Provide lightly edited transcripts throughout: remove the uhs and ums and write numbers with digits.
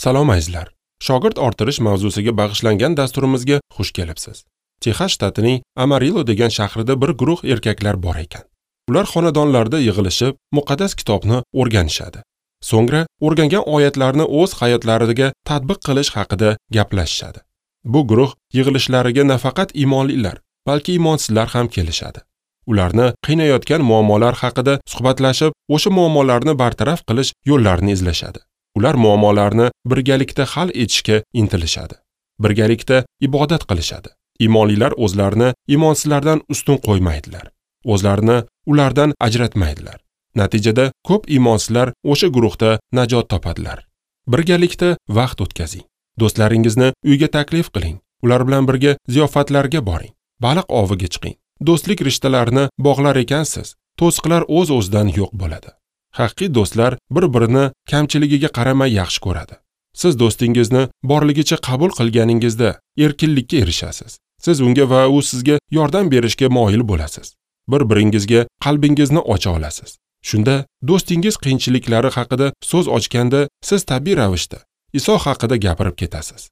Salom azizlar. Shogird orttirish mavzusiga bag'ishlangan dasturimizga xush kelibsiz. Texas shtatining Amarillo degan shahrida bir guruh erkaklar bor ekan. Ular xonadonlarda yig'ilishib, muqaddas kitobni o'rganishadi. So'ngra o'rgangan oyatlarni o'z hayotlariga tatbiq qilish haqida gaplashishadi. Bu guruh yig'ilishlariga nafaqat iymonlilar, balki iymonsizlar ham kelishadi. Ularni qiynayotgan muammolar haqida suhbatlashib, o'sha muammolarni bartaraf qilish yo'llarini izlashadi. Ular muammolarni birgalikda hal etishga intilishadi. Birgalikda ibodat qilishadi. Iymonlilar o'zlarini iymonsizlardan ustun qo'ymaydilar. O'zlarini ulardan ajratmaydilar. Natijada ko'p iymonsizlar o'sha guruhda najot topadilar. Birgalikda vaqt o'tkazing. Do'stlaringizni uyga taklif qiling. Ular bilan birga ziyofatlarga boring. Baliq oviga chiqing. Do'stlik rishtalarini bog'lar ekansiz, to'siqlar o'z-o'zidan yo'q bo'ladi. Haqiqiy do'stlar bir-birini kamchiligiga qaramay yaxshi ko'radi. Siz do'stingizni borligicha qabul qilganingizda erkinlikka erishasiz. Siz unga va u sizga yordam berishga moyil bo'lasiz. Bir-biringizga qalbingizni ocha olasiz. Shunda do'stingiz qiyinchiliklari haqida so'z ochganda siz tabiiy ravishda Iso haqida gapirib ketasiz.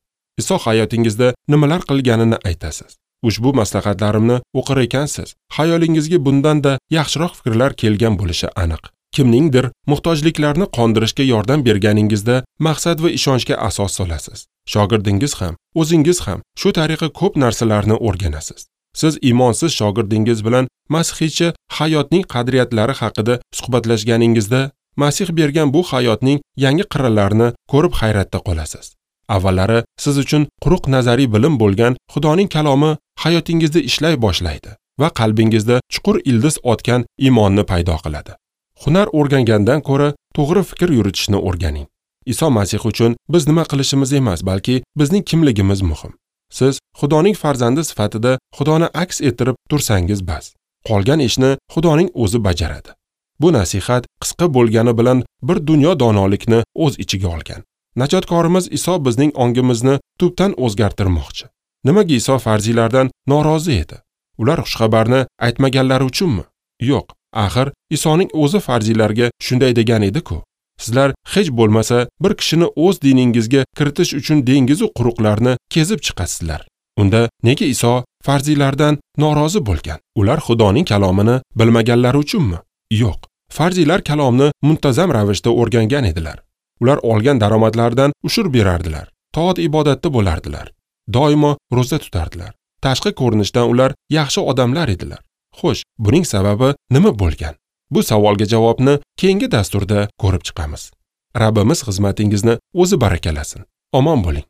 Iso hayotingizda nimalar qilganini aytasiz. Ushbu maslahatlarimni o'qir ekansiz, xayolingizga bundan-da yaxshiroq fikrlar kelgan bo'lishi aniq. Kimningdir muhtojliklarini qondirishga yordam berganingizda maqsad va ishonchga asos solasiz. Shogirdingiz ham, o'zingiz ham shu tariqa ko'p narsalarni o'rganasiz. Siz iymonsiz shogirdingiz bilan masihiycha hayotning qadriyatlari haqida suhbatlashganingizda Masih bergan bu hayotning yangi qirralarini ko'rib hayratda qolasiz. Avvallari siz uchun quruq nazariy bilim bo'lgan Xudoning kalomi hayotingizda ishlay boshlaydi va qalbingizda chuqur ildiz otgan iymonni paydo qiladi. Hunar o'rgangandan ko'ra to'g'ri fikr yuritishni o'rganing. Iso Masih uchun biz nima qilishimiz emas, balki bizning kimligimiz muhim. Siz Xudoning farzandi sifatida Xudoni aks ettirib tursangiz bas. Qolgan ishni Xudoning o'zi bajaradi. Bu nasihat qisqa bo'lgani bilan bir dunyo donolikni o'z ichiga olgan. Najotkorimiz Iso bizning ongimizni tubdan o'zgartirmoqchi. Nimaga Iso farziylardan norozi edi? Ular xushxabarni aytmaganlari uchunmi? Yo'q, axir Isoning o'zi farziylarga shunday degan edi-ku. Sizlar hech bo'lmasa bir kishini o'z diningizga kiritish uchun dengiz va quruqlarni kezib chiqasizlar. Unda nega Iso farziylardan norozi bo'lgan? Ular Xudoning kalomini bilmaganlari uchunmi? Yo'q. Farziylar kalomni muntazam ravishda o'rgangan edilar. Ular olgan daromadlaridan ushur berardilar. Toat ibodatda bo'lardilar. Doimo ro'za tutardilar. Tashqi ko'rinishdan ular yaxshi odamlar edilar. Xo'sh, buning sababi nima bo'lgan? Bu savolga javobni keyingi dasturda ko'rib chiqamiz. Rabbimiz xizmatingizni o'zi barakalasin. Omon bo'ling.